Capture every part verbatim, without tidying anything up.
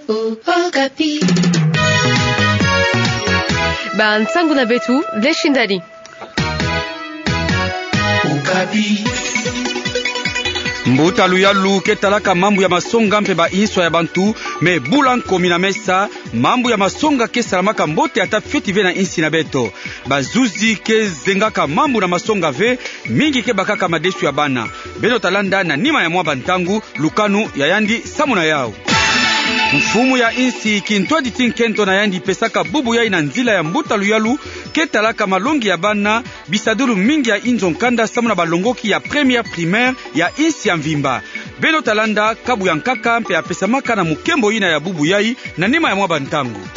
Okapi. Bansangu na beto, Dleshindani. Okapi. Mbuta luyalu ke talaka mambu ya masonga mpe ba inswa ya bantu, me bula nkomi na mesa, mambu ya masonga ke salamaka mbote ata fioti ve na insi na beto. Bazuzi ke zengaka mambu na masonga ve, mingi ke bakaka madesu ya bana. Beno ta landa na nima ya mwa bantangu, lukanu ya yandi samu na yau. Mfumu ya insi kintwadi ti nkento na yandi pesaka bubu yai na nzila ya mbuta luyalu ke talaka malongi ya bana, bisadulu mingi ya inzo nkanda samu na balongoki ya première primaire ya insi ya mvimba. Beno ta landa kabu ya nkaka mpe ya pesamaka na mukembo yina ya bubu yai na nima ya mwa bantangu.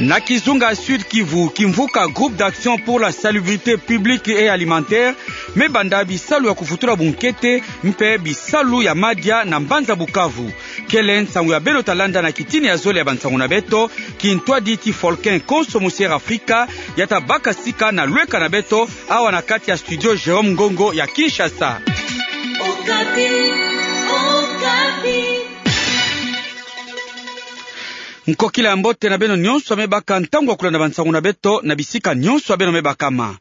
Na kizunga Sud Kivu, kimvuka Groupe d'Action pour la Salubrité Publique et Alimentaire me banda bisalu ya kufutula bunkete mpe bisalu ya madia na mbanza Bukavu. Kele nsangu ya beno ta landa na kitini ya zole ya bansangu na beto, kintwadi ti Folkin Konso Musier Afrika, ya ta baka sika na lweka na beto, awa na kati ya studio Jérôme Ngongo ya Kinshasa. Okapi, Okapi. Nkokila ya mbote na beno nyonso ya me baka ntangu ya kulanda bansangu na beto na bisika nyonso ya beno me bakama.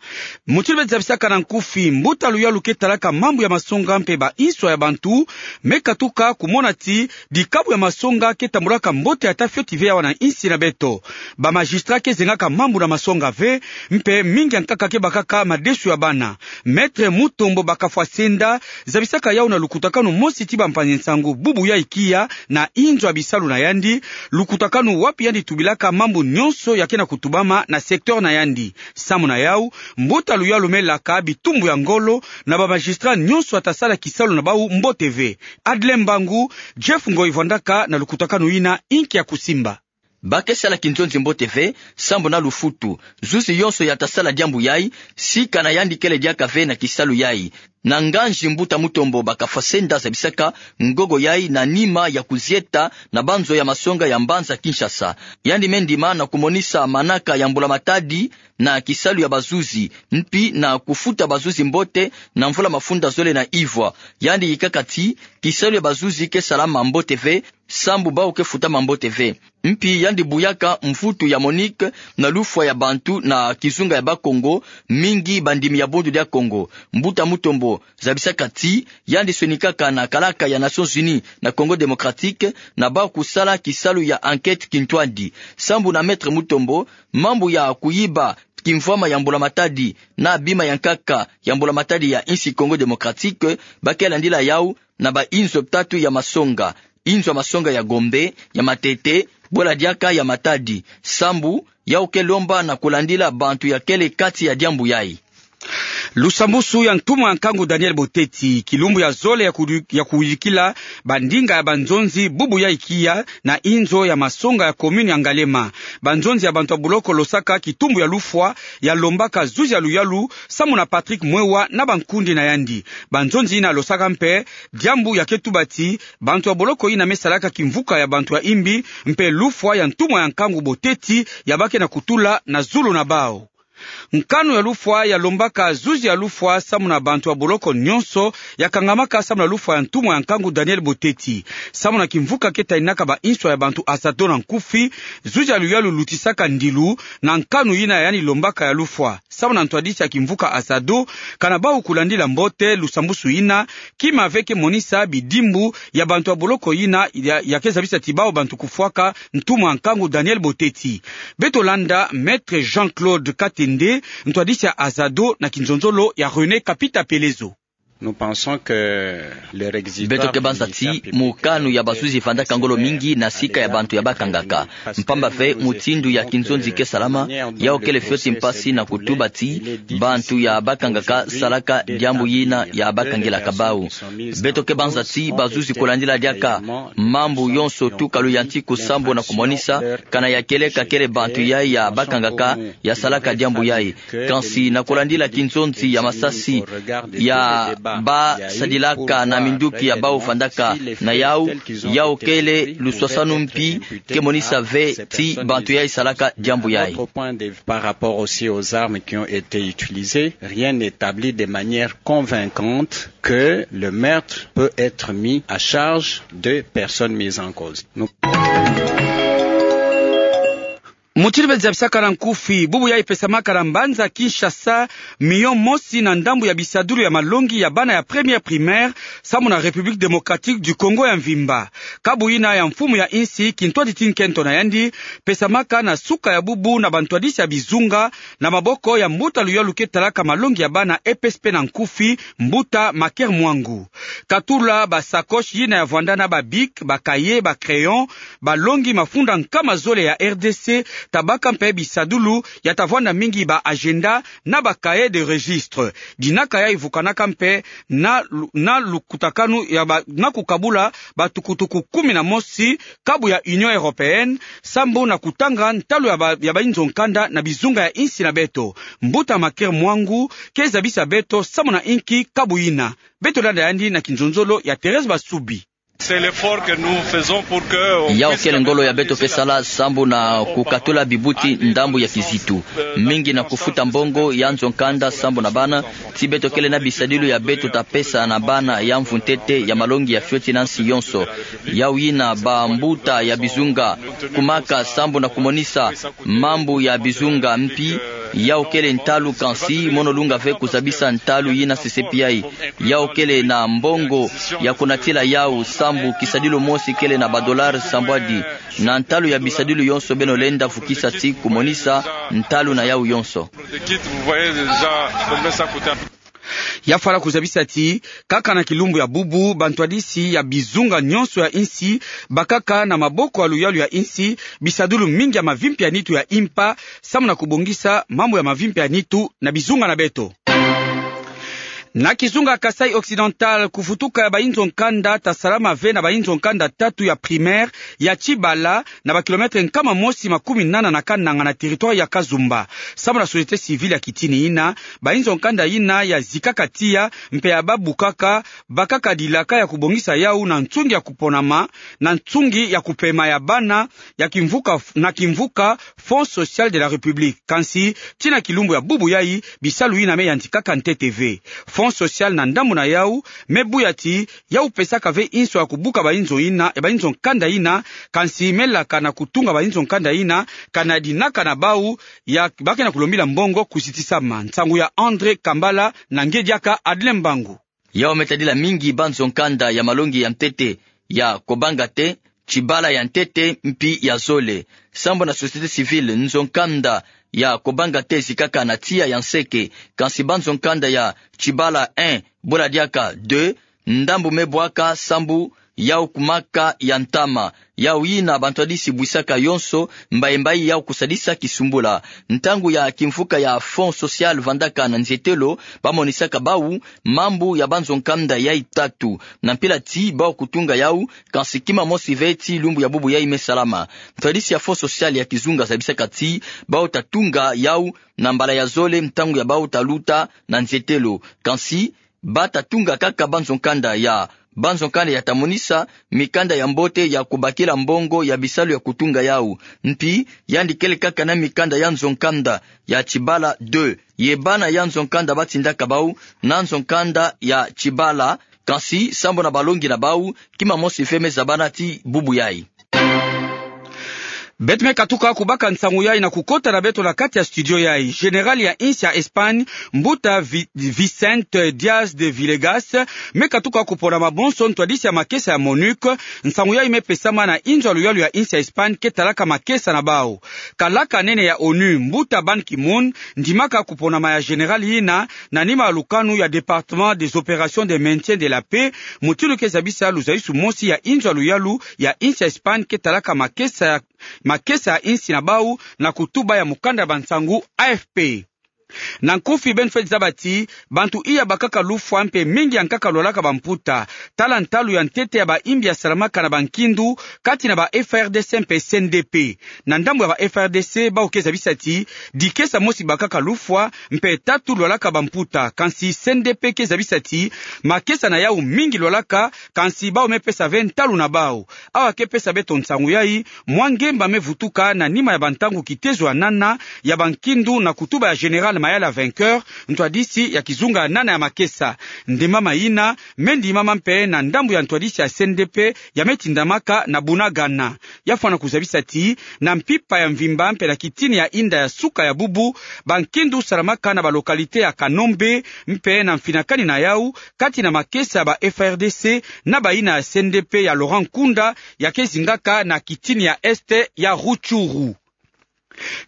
Mutindu beto zabisaka na nkufi, mbuta luyalu ke talaka mambu ya masonga mpe ba inswa ya bantu me katuka kumona ti dikabu ya masonga ke tambulaka mbote ata fioti ve awa na insi na beto. Ba magistrat ke zengaka mambu na masonga ve, mpe mingi ya nkaka ke bakaka madesu ya bana. Maître Mutombo Bakafwa Senda zabisaka yau na lukutakanu mosi ti bampangi nsangu bubu yai kia na inzo ya bisalu na yandi, lukutakanu wapi yandi tubilaka mambu nyonso ya ke na kutubama na secteur na yandi. Samu na yau, mbuta luyalu me laka bitumbu ya ngolo na ba magistrat nyonso ya ta sala kisalu na bau mbote ve. Adle Mbangu, Jeff Ngoyi Vandaka na lukutakanu yina inki ya kusimba. Ba ke sala kinzonzi mbote ve, sambu na lufutu. Zuzi yonso ya ta sala diambu yai, sika na yandi kele diaka ve na kisalu yai. Na nganzi mbuta Mutombo Bakafwa Senda zabisaka ngogo yai na nima ya kuzieta na banzo ya masonga ya mbanza Kinshasa. Yandi me ndima na kumonisa manaka ya mbulamatadi na kisalu ya bazuzi, mpi na kufuta bazuzi mbote na mvula mafunda zole na ivwa. Yandi yikaka ti, kisalu ya bazuzi ke salama mbote ve, sambu bau ke futama mbote ve. Mpi yandi buyaka mvutu ya Monique na lufwa ya bantu na kizunga ya Bakongo, mingi bandimi ya Bundu dia Kongo. Mbuta Mutombo zabisaka ti, yandi sonikaka na kalaka ya Nations Unies na Congo Démocratique, na bau kusala kisalu ya enquête kintwadi. Sambu na Maître Mutombo, mambu ya kuyiba kimvwama ya mbulamatadi na bima ya nkaka ya mbulamatadi ya insi Congo Démocratique, ba ke landila yau na ba inzo tatu ya masonga, inzo ya masonga ya Gombe, ya Matete, bwela diaka ya Matadi. Sambu, yau ke lomba na kulandila bantu ya kele kati ya diambu yai. Lusambusu ya ntumwa ya nkangu Daniel Boteti, kilumbu ya zole ya kudi-, ya kuyikila bandinga ya banzonzi bubu yai kia na inzo ya masonga ya commune ya Ngaliema. Banzonzi ya bantu ya buloko losaka kitumbu ya lufwa ya lombaka zuzi ya luyalu, samu na Patrick Mwewa na bankundi na yandi. Banzonzi yina losaka mpe diambu ya ke tuba ti, bantu ya boloko yina me salaka kimvuka ya bantu ya imbi, mpe lufwa ya ntumwa ya nkangu Boteti ya ba ke na kutula na zulu na bau. Nkanu ya lufwa ya lombaka zuzi ya lufwa samu na bantu ya boloko nyonso ya kangamaka samu na lufwa ya ntumwa ya nkangu Daniel Boteti. Samu na kimvuka ke taninaka ba inswa ya bantu Azado na nkufi, zuzi ya luyalu lutisaka ndilu na nkanu yina yandi lombaka ya lufwa. Samu na ntwadisi ya kimvuka Azado, kana bau kulandila mbote lusambusu yina, kima ve ke monisa bidimbu ya bantu ya boloko yina ya, ya ke zabisa ti bau bantu kufwaka ntumwa ya nkangu Daniel Boteti. Beto landa Maître Jean-Claude Katende, ntwadisi ya Azado na kinzonzolo ya René Kapita Pelezo. Nous pensons que le réquisitoire... Beto ke banza ti mukanu ya bazuzi vandaka ngolo mingi na sika ya bantu ya bakangaka. Mpamba ve mutindu ya kinzonzi ke salama, yau kele fioti mpasi na kutuba ti bantu ya bakangaka salaka diambu yina ya bakangilaka bau. Beto ke banza ti bazuzi kulandila diaka mambu yonso tuka luyantiku sambu na kumonisa kana ya kele ka kele bantu yai ya bakangaka ya salaka diambu yai. Kansi na kulandila kinzonzi ya masasi ya ba sadilaka na minduki ya bau vandaka na yau, yau kele luswasanu mpi ke monisa ve ti bantu yai salaka diambu yai. Par rapport aussi aux armes qui ont été utilisées, rien n'établit de manière convaincante que le meurtre peut être mis à charge de personnes mises en cause. Nous Mutiri bezi ya bisakala nkufi, bubu yai pesamaka na mbanza Kinshasa, miyo mosi na ndambu ya bisadulu ya malongi ya bana ya première primaire, samu na République Démocratique du Congo ya mvimba. Kabu yina ya mfumu ya insi, kintwadisi nkento na yandi, pesamaka na suka ya bubu na bantwadisi ya bizunga, na maboko ya mbuta luyalu ke talaka malongi ya bana E P S P na nkufi, mbuta Maker Mwangu. Katula ba sacoche yina ya vwanda na ba bic, ba cahier, ba crayon, balongi mafunda nkama zole ya R D C, tabaka mpe bisadulu, ya tavwanda mingi ba agenda, na ba cahier de registre. Dinaka yai vukanaka mpe, na lu-, na lukutakanu ya ba-, na kukabula, batukutuku kumi na mosi, kabu ya Union Européenne, sambu na kutanga ntalu ya ba-, ya bainzo nkanda na bizunga ya insi na beto. Mbuta Maker Mwangu, ke zabisa beto, samu na inki kabu yina. Beto landa yandi na kinzonzolo ya Thérèse Basubi. C'est l'effort que nous faisons pour que on Yau puisse kele ngolo ya beto ke sala sambu na kukatula bibuti ndambu ya kizitu. Mingi na kufuta mbongo ya nzo nkanda sambu na bana, ti beto kele na bisadulu ya beto tapesa na bana ya mvu ntete ya malongi ya fioti na nsi yonso. Yau yina ba mbuta ya bizunga kumaka sambu na kumonisa mambu ya bizunga mpi, yau kele ntalu kansi, mono lunga ve kuzabisa ntalu yina sesepi yai. Yau kele na mbongo ya kunatila yau sambu kisadulu mosi kele na ba dollars sambwadi. Na ntalu ya bisadulu yonso beno lenda vukisa ti kumonisa ntalu na yau yonso. Ya fala kuzabisa ti, kaka na kilumbu ya bubu, bantwadisi ya bizunga nyonso ya insi, bakaka na maboko ya luyalu ya insi, bisadulu mingi ya mavimpi ya nitu ya impa, samu na kubongisa mambu ya mavimpi ya nitu na bizunga na beto. Na kizunga Kasaï Occidental, kuvutuka ya bainzo nkanda tasalama ve na bainzo nkanda tatu ya primaire ya Tchibala, na ba kilomètre nkama mosi makumi nana na kananga na territoire ya Kazumba. Samu na société civile ya kitini yina, bainzo nkanda yina ya zikaka tiya, mpe ya babukaka, bakaka dilaka ya kubongisa yau na nsungi ya kuponama, na nsungi ya kupema ya bana, ya kimvuka, na kimvuka Fonds Social de la République. Kansi, tii na kilumbu ya bubu yai, bisalu yina me yantikaka ntete ve. Fonds Social na ndambu na yau, me buya ti, yau pesaka ve inso ya kubuka bainzo yina, e bainzo nkanda yina, kansi me laka na kutunga bainzo nkanda yina, kana dinaka na bau, ya ba ke na kulombila mbongo kuzitisama. Nsangu ya André Kambala, na nge diaka Adeline Mbangu. Yau me tadila mingi banzo nkanda ya malongi ya ntete, ya Kobanga te, Tchibala ya ntete, mpi ya zole. Sambu na société civile, nzo nkanda ya Kobanga te zikaka na tiya ya nseke, kansi banzo nkanda ya Tchibala un, bula diaka deux, ndambu me bwaka sambu yau kumaka ya ntama. Yau yina bantwadisi bwisaka yonso, mbayi mbayi yau kusadisa kisumbula. Ntangu ya kimvuka ya Fonds Social vandaka na nzietelo, bamonisaka bau mambu ya banzo nkanda yai tatu. Na mpila ti bau kutunga yau, kansi kima mosi ve ti lumbu ya bubu yai me salama. Ntwadisi ya Fonds Social ya kizunga zabisaka ti bau tatunga yau na mbala ya zole ntangu ya bau taluta na nzietelo. Kansi bata tunga kaka banzo nkanda ya, banzo nkanda ya tamonisa mikanda ya mbote ya kubakila mbongo ya bisalu ya kutunga yau. Mpi, yandi kele kaka na mikanda ya nzo nkanda ya Tchibala deux. Ye bana ya nzo nkanda batindaka bau na nzo nkanda ya Tchibala, kansi sambu na balongi na bau, kima mosi ve me zabana ti bubu yai. Beto me katuka kubaka nsangu yai na kukota na beto na kati ya studio yai. Général ya insi ya Espagne, mbuta Vi-, Vicente Diaz de Villegas, me katuka kupona mabonso ntwadisi ya makesa ya MONUC, nsangu yai me pesama na inzo ya luyalu ya insi ya Espagne ke talaka makesa na bau. Kalaka nene ya ONU, mbuta Ban Ki-moon, ndimaka kuponama ya général yina, na nima ya lukanu ya Département des Opérations de Maintien de la Paix, mutindu ke zabisa luzayisu mosi ya inzo ya luyalu ya insi ya Espagne ke talaka makesa, makesa ya insi na bau na kutuba ya mukanda ya bansangu A F P. Na nkufi beno fweti zaba ti bantu iya bakaka lufwa mpe mingi ya nkaka lwalaka bamputa, tala ntalu ya ntete ya baimbi yasalamaka na bankindu kati na ba F R D C mpe C N D P. Na ndambu ya ba F R D C, bawu ke zabisa ti dikesa mosi bakaka lufwa mpe tatu lwalaka bamputa, kansi C N D P ke zabisa ti makesa na yawu mingi lwalaka, kansi bawu me pesa ve ntalu na bawu. Awa ke pesa beto nsangu yayi, mwa ngemba me vutuka na nima ya bantangu kitezo ya nana ya bankindu na kutuba ya Général Mayala Vainqueur, ntwadisi ya kizunga ya nana ya makesa. Ndemama yina me ndimama mpe na ndambu ya ntwadisi ya C N D P ya me tindamaka na Bunagana. Ya fwana kuzabisa ti na mpimpa ya mvimba mpe na kitini ya inda ya suka ya bubu, bankindu salamaka na ba localité ya Kanombe mpe na mfinakani na yawu kati na makesa ya ba F R D C na bayina ya C N D P ya Laurent Nkunda, ya ke zingaka na kitini ya Est ya Rutshuru.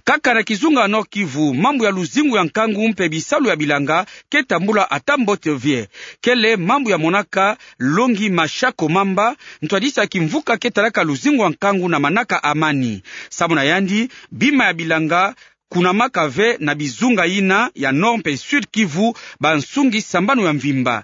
Kaka na kizunga Nord-Kivu, mambu ya luzingu ya nkangu mpe bisalu ya bilanga ke tambula ata mbote ve. Kele mambu ya monaka Longi Mashako Mamba, ntwadisi ya kimvuka ke talaka luzingu ya nkangu na manaka Amani. Samu na yandi, bima ya bilanga kunamaka ve na bizunga yina ya Nord mpe Sud-Kivu bansungi sambanu ya mvimba.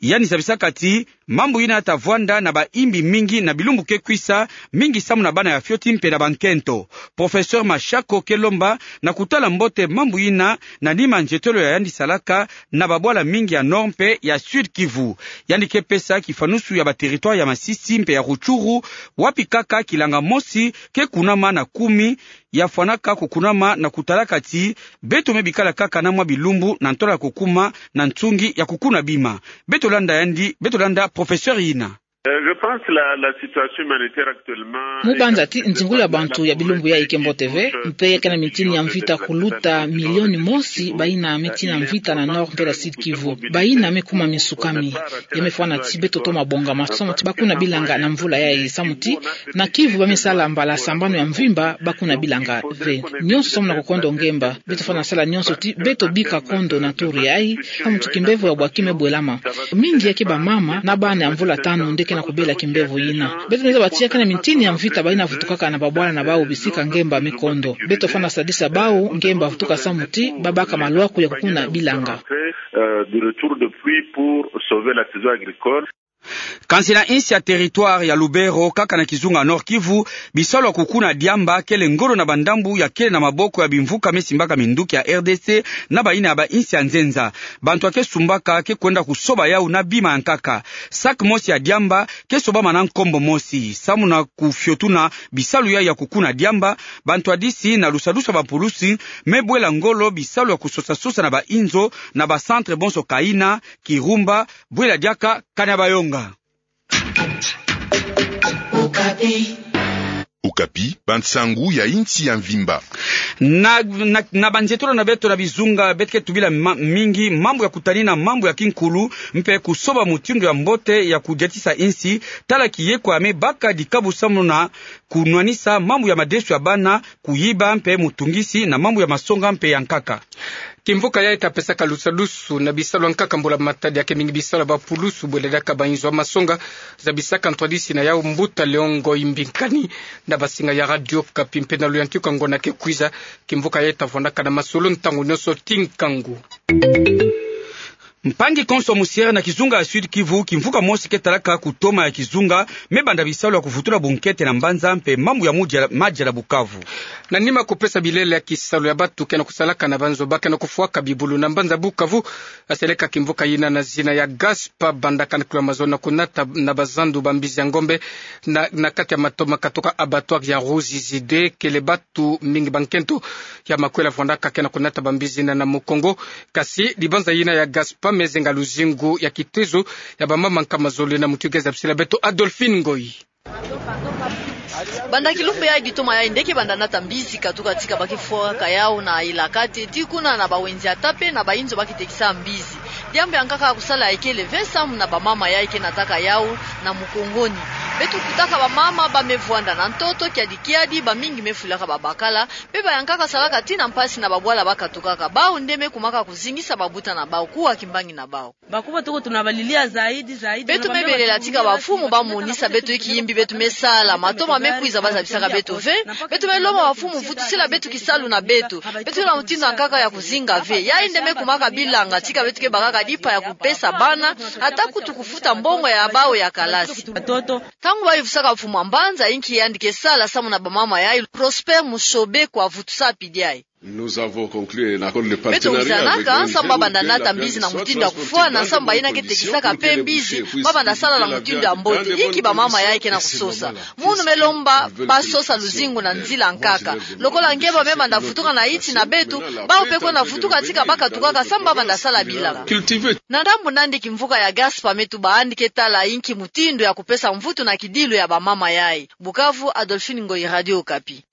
Yandi zabisaka ti mambu yina ya ta vwanda na baimbi mingi na bilumbu ke kwisa, mingi samu na bana ya fioti mpe na bankento. Professeur Mashako ke lomba na kutala mbote mambu yina na nima nzietelo ya yandi salaka na babwala mingi ya Nord mpe ya Sud-Kivu. Yandi ke pesa kifwanusu ya ba territoire ya Masisi mpe ya Rutshuru, wapi kaka kilanga mosi ke kunama na kumi, ya fwanaka kukunama na kutalaka ti beto me bikala kaka na mwa bilumbu na ntola ya kukuma na nsungi ya kukuna bima. Beto landa yandi, beto landa professeur yina. Euh, je pense la, la situation humanitaire actuellement. Mu banza ti nzingulu ya bantu ya bilumbu yayi ke mbote ve, mpe ya ke na mitini ya mvita kuluta milioni mosi bayina mitini ya mvita na Nord mpe na Sud-Kivu. Bayina me kuma minsukami. Ya me fwana ti beto toma bongama samu ti bakuna bilanga na mvula yayi, samu ti na Kivu ba me sala mbala sambanu ya mvimba bakuna bilanga ve. Nionso samu na kukondo ngemba. Beto fwana sala nionso ti beto bika kondo na turu yayi, samu ti kimbevo ya bwaki me bwelama. Mingi ya ke bamama na bana ya mvula tanu nde ke na kubela kimbevo yina. Beto ni zaba ti ya ke na mitini ya mvita bayina vutukaka na babwala na bawu bisika ngemba me kondo. Beto fwana sadisa bawu ngemba vutuka samu ti babaka malwaku ya kukuna bilanga. Euh, de retour de pluie pour sauver la saison agricole. Kansi na insi ya territoire ya Lubero, kaka na kizunga Nord-Kivu, bisalu ya kukuna diamba kele ngolo na bandambu ya kele na maboko ya bimvuka me simbaka minduki ya R D C na bayina ya bainsi ya nzenza. Bantu ya ke sumbaka ke kwenda kusoba yawu na bima ya nkaka. Sac mosi ya diamba ke sobama na nkombo mosi. Samu na kufiotuna bisalu yayi ya kukuna diamba, bantwadisi na lusadusu ya bapulusi me bwela ngolo bisalu ya kusosasosa na bainzo na ba centre bonso Kaina, Kirumba, Bwela Diaka, Kanyabayonga. Okapi, bansangu ya insi ya mvimba. Na, na, na banzietolo na beto na bizunga, beto ke tubila ma-, mingi mambu ya kutanina mambu ya kinkulu, mpe kusoba mutindu ya mbote ya kudiatisa insi, tala kiyekwa me baka dikabu samu na kunwanisa mambu ya madesu ya bana, kuyiba mpe mutungisi na mambu ya masonga mpe ya nkaka. Kimvuka yayi ta pesaka lusadusu na bisalu ya nkaka mbula matadi ya ke mingi bisalu ya bapulusu, bwela diaka bainzo ya masonga, zabisaka ntwadisi na yawu mbuta Leon Ngoyi Mbinkani na basinga ya Radio Okapi mpe na luyantiku ya ngonda ke kwiza. Kimvuka yayi ta vwandaka na masolo ntangu nionso ti nkangu. Mpangi konso musiere na kizunga ya Sud-Kivu, kimvuka mosi ke talaka kutoma ya kizunga me banda bisalu ya kuvutula bunkete na mbanza mpe mambu ya mudia, madia na Bukavu. Na nima kupesa bilele ya kisalu ya bantu ke na kusalaka na banzo ba ke na kufwaka bibulu na mbanza Bukavu, aseleka kimvuka yina na zina ya Gaspa, bandaka na kilo ya mazono na kunata na bazandu bambizi ya ngombe na, na kati ya mato ma katuka abattoir ya Ruzizi deux, kele bantu mingi bankento ya makwela vwandaka ke na kunata bambizi yina na Mukongo. Kasi dibanza yina ya Gaspa me zenga luzingu ya kitezo ya bamama nkama zole na mutu ke zabisila beto Adolphine Ngoyi. Banda kilumbu ya ditoma yayi nde ke banda nata mbizi katuka tika ba ke fwaka yawu na Ilakate, tii kuna na bawenze ya tape na bainzo ba ke tekisa mbizi. Diambu ya nkaka ya kusala ekele ve samu na bamama yayi ke nataka yawu na Mukongo ni. Beto kutaka bamama ba me vwanda na ntoto, kiadi kiadi, bamingi me fulaka babakala, mpe bayankaka salaka tii na mpasi na babwala ba katukaka. Bawu nde me kumaka kuzingisa babuta na bawu, kuwa kimbangi na bawu. Bakuba tuko tunabalilia zaidi, zaidi. Beto me belela tika bamfumu ba monisa beto inki yimbi beto me sala, matoma me kwiza ba zabisaka beto ve. Beto me lomba bamfumu vutusila beto kisalu na beto. Beto na mutindu ya nkaka ya kuzinga ve. Yayi nde me kumaka bilanga, tika beto ke bakaka dipa ya kupesa bana, ata kutu kufuta mbongo ya bawu ya kalasi. Ntangu ba yuvusaka mfumu wa mbanza inki yandi ke sala samu na bamama yayi, Prosper Mushobe kwa vutusa pidi yayi. Nous avons conclu un accord de partenariat avec l'O N G. Beto wizanaka, samu ba banda nata mbizi na mutindu ya kufwana, samu ba yina ke tekisaka mpe mbizi, ba banda sala na mutindu ya mbote. Inki bamama yayi ke na kusosa. Munu me lomba ba sosa luzingu na nzila nkaka. Lokola nge ba me banda vutuka na insi na beto, bawu mpe kwenda vutuka tika ba katukaka samu ba banda sala bilanga. Na ndambu nandi kimvuka ya Gaspa me tuba yandi ke tala inki mutindu ya kupesa mvutu na kidilu ya bamama yayi. Bukavu, Adolphine Ngoyi, Radio Okapi.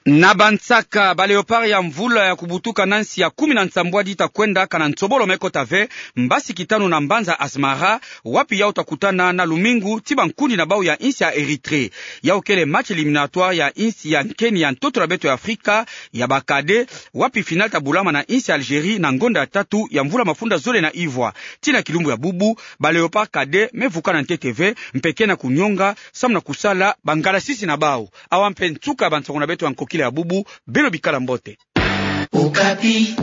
Na bansaka, ba Léopards ya mvula ya kubutuka na nsi ya kumi na nsambwadi ta kwenda kana nsobolo me kota ve mbasi kitanu na mbanza Asmara, wapi yawu ta kutana na lumingu ti bankundi na bawu ya insi ya Érythrée. Yawu kele match éliminatoire ya insi ya nkeni ya ntoto na beto ya Afrika ya ba cadets, wapi finale ta bulama na insi ya Algérie na ngonda ya tatu ya mvula mafunda zole na ivwa. Tii na kilumbu ya bubu, ba Léopards cadets me vuka na ntete ve, mpe ke na kunyonga, samu na kusala bangalasisi na bawu. Awa mpe nsuka ya bansango na beto ya nkokila ya bubu, beno bikala mbote. Okapi.